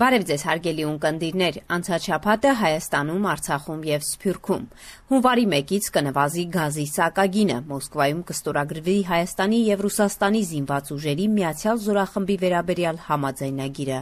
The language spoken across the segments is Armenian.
Բարև ձեզ հարգելի ունկնդիրներ, անցած շաբաթը Հայաստանում, Արցախում եւ Սփյուռքում։ Հունվարի 1-ից կնվազի գազի սակագինը, Մոսկվայում կստորագրվի Հայաստանի եւ Ռուսաստանի զինված ուժերի միացյալ զորախմբի վերաբերյալ համաձայնագիրը։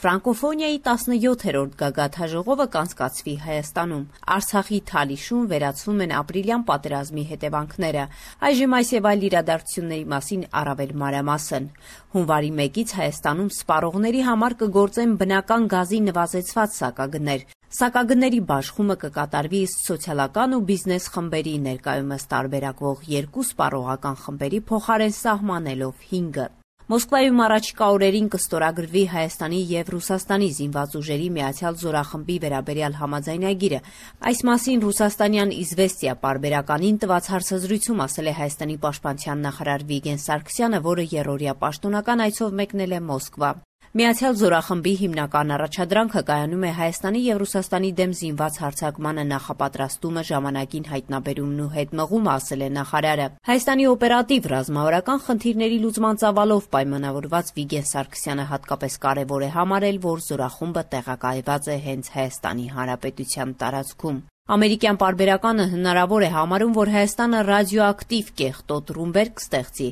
Ֆրանկոֆոնիայի 17-րդ գագաթաժողովը կանցկացվի Հայաստանում։ Արցախի Թալիշում վերացվում են ապրիլյան պատերազմի հետևանքները։ Այժմ այս եւ այլ իրադարձությունների մասին առավել մանրամասն։ Հունվարի 1-ից Հայաստանում սպառողների համար կգործեն բնական գազի նվազեցված սակագներ։ Սակագների բաշխումը կկատարվի սոցիալական ու բիզնես խմբերի ներկայումս տարբերակվող 2 սպառողական խմբերի փոխարեն սահմանելով 5-ը։ Մոսկվայում առաջիկա օրերին կստորագրվի Հայաստանի եւ Ռուսաստանի զինված ուժերի միացյալ զորախմբի վերաբերյալ համաձայնագիրը։ Այս մասին ռուսաստանյան «Իզվեստիա» պարբերականին տված հարցազրույցում ասել է Հայաստանի պաշտպանության նախարար Վիգեն Սարգսյանը, որը երրորդյա պաշտոնական այցով մեկնել է Մոսկվա։ Միացյալ զորախմբի հիմնական առաջադրանքը կայանում է Հայաստանի եւ Ռուսաստանի դեմ զինված հարձակմանը նախապատրաստումը, ժամանակին հայտնաբերումն ու հետմղումը, ասել է նախարարը։ Հայաստանի օպերատիվ ռազմավարական խնդիրների լուծման ծավալով պայմանավորված Վիգեն Սարգսյանը հատկապես կարևոր է համարել, որ զորախումբը տեղակայված է հենց Հայաստանի Հանրապետության տարածքում։ Ամերիկյան պարբերականը հնարավոր է համարում, որ Հայաստանը ռադիոակտիվ կեղտոտ ռումբեր կստեղծի։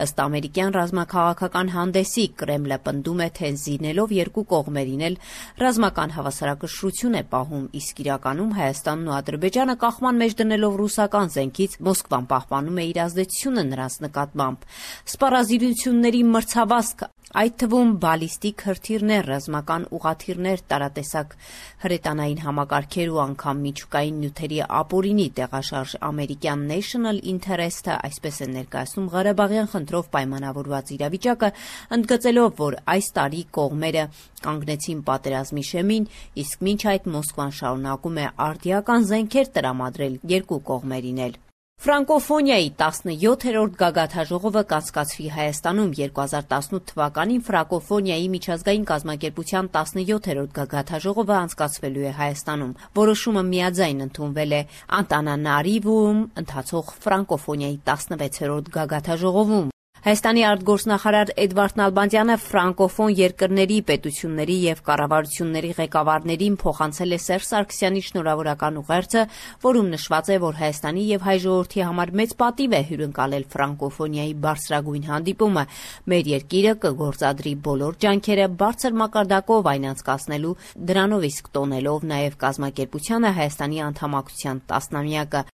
Ըստ ամերիկյան ռազմաքաղաքական հանդեսի, Կրեմլը պնդում է, թե զինելով երկու կողմերին էլ ռազմական հավասարակշռություն է պահում, իսկ իրականում Հայաստանն ու Ադրբեջանը կախման մեջ դնելով ռուսական զենքից Մոսկվան պահպանում է իր ազդեցությունը նրանց նկատմամբ։ Սպառազինությունների մրցավազք, այդ թվում բալիստիկ հրթիռներ, ռազմական ուղղաթիռներ, տարատեսակ հրետանային համակարգեր ու անգամ միջուկային նյութերի ապօրինի տեղաշարժ ամերիկյան National Interest-ը այսպես է ներկայացնում Ղարաբաղյան խնդրով պայմանավորված իրավիճակը, ընդգծելով, որ այս տարի կողմերը կանգնեցին պատերազմի շեմին, իսկ մինչ այդ Մոսկվան շարունակում է արդիական զենքեր տրամադրել երկու կողմերին էլ։ Ֆրանկոֆոնիայի 17-րդ գագաթաժողովը կանցկացվի Հայաստանում 2018 թվականին Ֆրանկոֆոնիայի միջազգային կազմակերպության 17-րդ գագաթաժողովը անցկացվելու է Հայաստանում։ Որոշումը միաձայն ընդունվել է Անտանանարիվուում ընթացող Ֆրանկոֆոնիայի 16-րդ գագաթաժողովում։ Հայաստանի արտգործնախարար Էդվարդ Նալբանդյանը ֆրանկոֆոն երկրների, պետությունների եւ կառավարությունների ղեկավարներին փոխանցել է Սերժ Սարգսյանի շնորհավորական ուղերձը, որում նշված է, որ Հայաստանի եւ հայ ժողովրդի համար մեծ պատիվ է հյուրընկալել ֆրանկոֆոնիայի բարձրագույն հանդիպումը։ Մեր երկիրը կգործադրի բոլոր ջանքերը բարձր մակարդակով այն անցկացնելու, դրանով իսկ տոնելով նաեւ կազմակերպությանը Հայաստանի անդամակցության 10-ամյակը։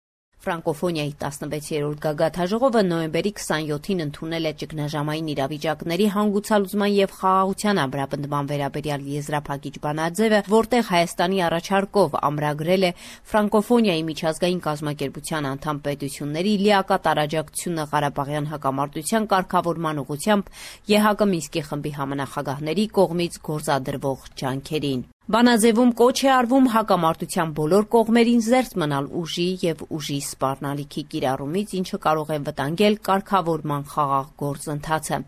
Ֆրանկոֆոնիայի 16-րդ գագաթաժողովը նոյեմբերի 27-ին ընդունել է ճգնաժամային իրավիճակների հանգուցալուծման եւ խաղաղության ամրապնդման վերաբերյալ եզրափակիչ բանաձևը, որտեղ Հայաստանի առաջարկով ամրագրել է Ֆրանկոֆոնիայի միջազգային կազմակերպության անդամ պետությունների լիակատար աջակցությունը Ղարաբաղյան հակամարտության կարգավորման ուղղությամբ ԵՀԿ Մինսկի խմբի համանախագահների կողմից գործադրվող ջանքերին։ Բանաձևում կոչ է արվում հակամարտության բոլոր կողմերին զերծ մնալ ուժի եւ ուժի սպառնալիքի կիրառումից, ինչը կարող է վտանգել կարգավորման խաղաղ գործընթացը։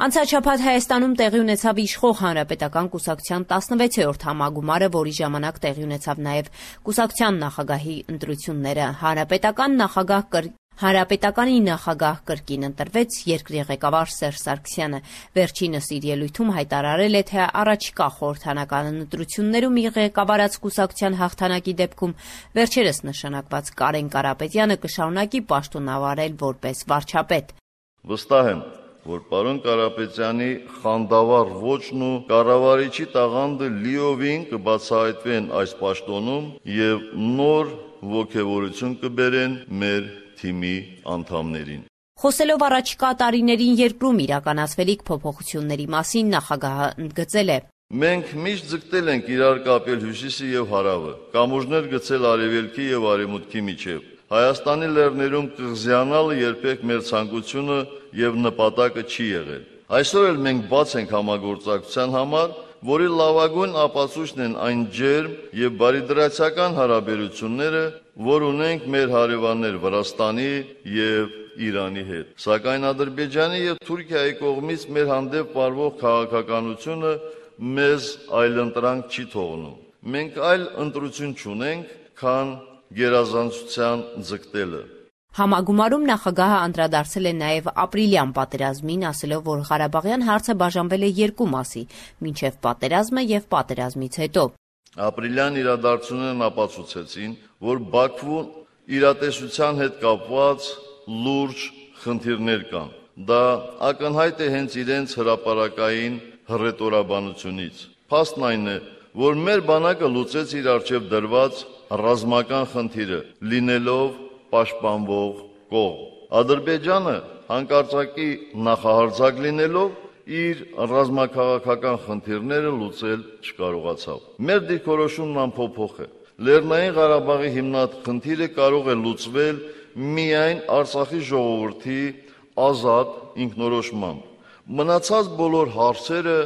Անցած շաբաթ Հայաստանում տեղի ունեցավ իշխող Հանրապետական կուսակցության 16-րդ համագումարը, որի ժամանակ տեղի ունեցավ նաեւ կուսակցության նախագահի ընտրությունները։ Հանրապետականի նախագահ կրկին ընտրվեց երկրի ղեկավար Սերժ Սարգսյանը։ Վերջինս իր ելույթում հայտարարել է, թե առաջիկա խորհրդանական ընտրություններում իր ղեկավարած կուսակցության հաղթանակի դեպքում վերջերս նշանակված Կարեն Կարապետյանը կշարունակի պաշտոնավարել որպես վարչապետ։ Վստահ եմ, որ պարոն Կարապետյանի խանդավառ ոճն ու կառավարիչի տաղանդը լիովին կբացահայտվեն այս պաշտոնում եւ նոր ոգևորություն կբերեն մեր թիմի անդամներին։ Խոսելով առաջիկա տարիներին երկրում իրականացվելիք փոփոխությունների մասին, նախագահը ընդգծել է. Մենք միշտ ձգտել ենք իրար կապել հյուսիսը եւ հարավը, կամուրջներ գցել արևելքի եւ արևմուտքի միջեւ։ Հայաստանի լեռներում կղզյանալը երբեք մեր ցանկությունը եւ նպատակը չի եղել։ Այսօր էլ մենք բաց ենք համագործակցության համար, որի լավագույն ապացույցն են այն ջերմ եւ բարիդրացիական հարաբերությունները, որ ունենք մեր հարևաններ Վրաստանի եւ Իրանի հետ։ Սակայն Ադրբեջանի եւ Թուրքիայի կողմից մեր հանդեպ վարվող քաղաքականությունը մեզ այլընտրանք չի թողնում։ Մենք այլ ընտրություն չունենք, քան գերազանցության ձգտելը։ Համագումարում նախագահը անդրադարձել է նաև ապրիլյան պատերազմին, ասելով, որ Ղարաբաղյան հարցը բաժանվել է երկու մասի՝ մինչև պատերազմը եւ պատերազմից հետո։ Ապրիլյան իրադարձություններն ապացուցեցին, որ Բաքվում իրատեսության հետ կապված լուրջ խնդիրներ կան։ Դա ակնհայտ է հենց իրենց հրապարակային հռետորաբանությունից։ Փաստն այն է, որ մեր բանակը լուծեց իր առջև դրված ռազմական խնդիրը, լինելով պաշտպանվող կողմ։ Ադրբեջանը հանկարծակի նախահարձակ լինելով իր ռազմաքաղաքական խնդիրները լուծել չկարողացավ։ Մեր դիրքորոշումն անփոփոխ է։ Լեռնային Ղարաբաղի հիմնախնդիրը կարող է լուծվել միայն Արցախի ժողովրդի ազատ ինքնորոշմամբ։ Մնացած բոլոր հարցերը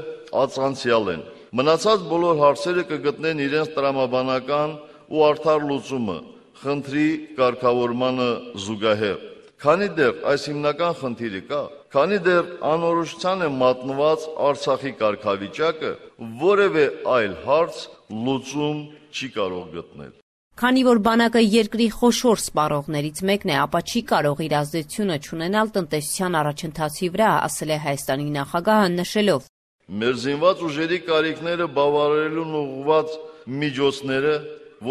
անցանցյալ են։ Մնացած բոլոր հարցերը կգտնեն իրենց տրամաբանական ու արդար լուծումը խնդրի կարգավորմանը զուգահեռ։ Քանի դեռ այս հիմնական խնդիրը կա, քանի դեռ անորոշության է մատնված Արցախի կարգավիճակը, որևէ այլ հարց լուծում չի կարող գտնել։ Քանի որ բանակը երկրի խոշոր սպառողներից մեկն է, ապա չի կարող իր ազդեցությունը չունենալ տնտեսության առաջընթացի վրա, ասել է Հայաստանի նախագահը, նշելով. Մեր զինված ուժերի կարիքները բավարարելուն ուղղված միջոցները,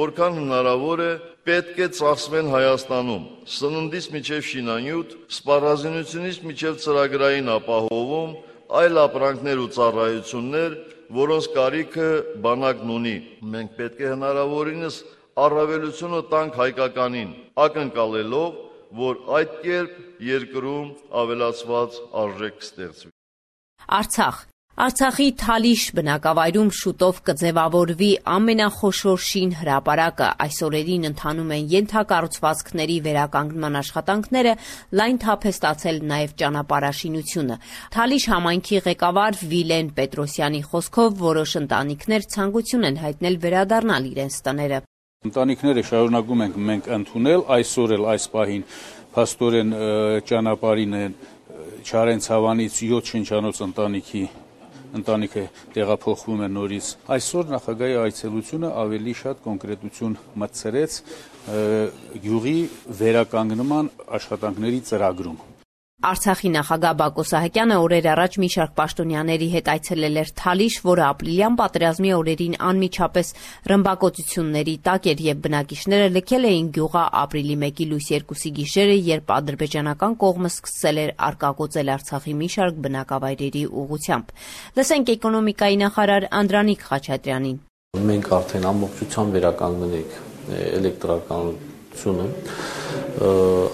որքան հնարավոր է, պետք է ծախսվեն Հայաստանում, սննդից մինչև շինանյութ, սպառազինությունից մինչև ծրագրային ապահովում, այլ ապրանքներ ու ծառայություններ, որոնց կարիքը բանակն ունի։ Մենք պետք է հնարավորինս առավելությունը տանք հայկականին, ակնկալելով, որ այդ կերպ երկրում ավելացված արժեք կստեղծվի։ Արցախի Թալիշ բնակավայրում շուտով կձևավորվի ամենախոշոր շին հրապարակը։ Այս օրերին ընթանում են ենթակառուցվածքների վերականգնման աշխատանքները, լայն թափ է ստացել նաև ճանապարհաշինությունը։ Թալիշ համայնքի ղեկավար Վիլեն Պետրոսյանի խոսքով որոշ ընտանիքներ ցանկություն են հայտնել վերադառնալ իրենց տները։ Ընտանիքները շարունակում ենք մենք ընդունել, այսօր էլ այս պահին փաստորեն ճանապարհին են Չարենցավանից 7 շնչանոց ընտանիքը տեղափոխվում է նորից։ Այսօր նախագահի այցելությունը ավելի շատ կոնկրետություն մտցրեց գյուղի վերականգնման աշխատանքների ծրագրում։ Արցախի նախագահ Բակո Սահակյանը օրեր առաջ մի շարք պաշտոնյաների հետ այցելել էր Թալիշ, որը ապրիլյան պատերազմի օրերին անմիջապես ռմբակոծությունների տակ էր եւ բնակիչները լքել էին գյուղը ապրիլի 1-ի լույս 2-ի գիշերը, երբ ադրբեջանական կողմը սկսել էր արկակոծել Արցախի մի շարք բնակավայրերի ուղղությամբ։ Լսենք էկոնոմիկայի նախարար Անդրանիկ Խաչատրյանին։ Մենք արդեն ամբողջությամբ վերականգնել ենք էլեկտրականությունը,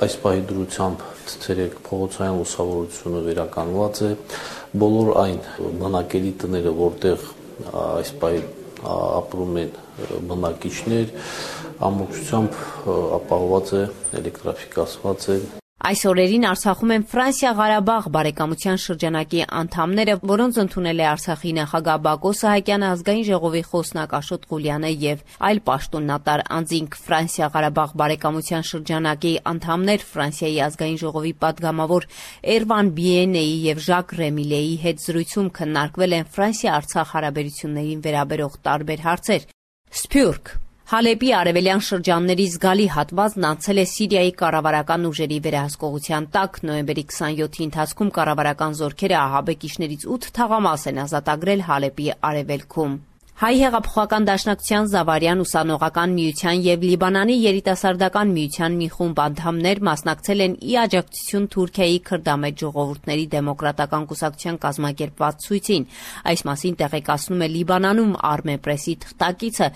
այս պահի դրությամբ ցերեկ փողոցային լուսավորությունը վերականգնված է, բոլոր այն բնակելի տները, որտեղ այս պահի ապրում են բնակիչներ, ամբողջությամբ ապահովված է, էլեկտրաֆիկացված է։ Այս օրերին Արցախում են Ֆրանսիա-Ղարաբաղ բարեկամության շրջանակի անդամները, որոնց ընդունել է Արցախի նախագահ Բակո Սահակյանը, ազգային ժողովի խոսնակ Աշոտ Ղուլյանը եւ այլ պաշտոնատար անձինք։ Ֆրանսիա-Ղարաբաղ բարեկամության շրջանակի անդամներ Ֆրանսիայի ազգային ժողովի падգամավոր Էրվան Բիենեի եւ Ժակ Ռեմիլեի հետ զրույցում քննարկվել են Ֆրանսիա-Արցախ հարաբերություններին վերաբերող տարբեր հարցեր։ Սփյուռք Հալեպի արևելյան շրջանների զգալի հատվածն անցել է Սիրիայի կառավարական ուժերի վերահսկողության տակ։ Նոյեմբերի 27-ի ընթացքում կառավարական զորքերը ահաբեկիչներից 8 թաղամաս են ազատագրել Հալեպի արևելքում։ Հայ հեղափոխական դաշնակցության Զավարյան ուսանողական միության եւ Լիբանանի երիտասարդական միության մի խումբ անդամներ մասնակցել են ի աջակցություն Թուրքիայի քրդամետ ժողովուրդների դեմոկրատական կուսակցության կազմակերպված ցույցին։ Այս մասին տեղեկացնում է Լիբանանում Armepress-ի թղթակիցը։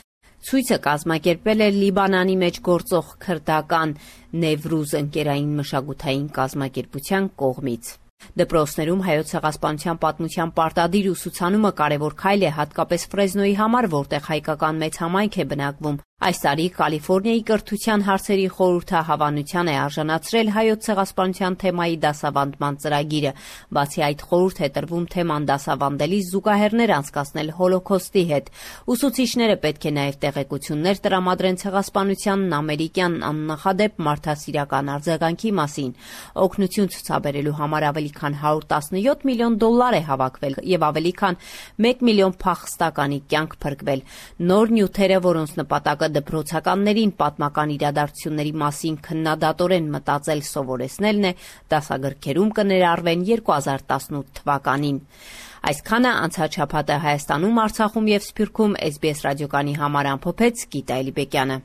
Ցույցը կազմակերպել է Լիբանանի մեջ գործող քրդական Նևրուզ ընկերային մշակութային կազմակերպության կողմից։ Դպրոցներում հայոց ցեղասպանության պատմության պարտադիր ուսուցանումը կարևոր քայլ է հատկապես Ֆրեզնոյի համար, որտեղ հայկական մեծ համայնք է բնակվում։ Այս տարի Կալիֆոռնիայի կրթության հարցերի խորհուրդը հավանության է արժանացրել հայոց ցեղասպանության թեմայի դասավանդման ծրագիրը։ Բացի այդ, խորհուրդ է տրվում թեման դասավանդելիս զուգահեռներ անցկացնել Հոլոքոստի հետ։ Ուսուցիչները պետք է նաև տեղեկություններ տրամադրեն ցեղասպանությանն ամերիկյան աննախադեպ մարդասիրական արձագանքի մասին։ Օգնություն ցուցաբերելու համար ավելի քան $117 միլիոն է հավաքվել եւ ավելի քան 1 միլիոն փախստականի կյանք փրկվել։ Նոր նյութերը, որոնց նպատակը դպրոցականներին պատմական իրադարձությունների մասին քննադատորեն մտածել սովորեցնելն է, դասագրքերում կներառվեն 2018 թվականին։ Այսքանը անցած շաբաթը Հայաստանում, Արցախում եւ Սփյուռքում SBS ռադիոկայանի համար ամփոփեց Գիտա Էլիբեկյանը։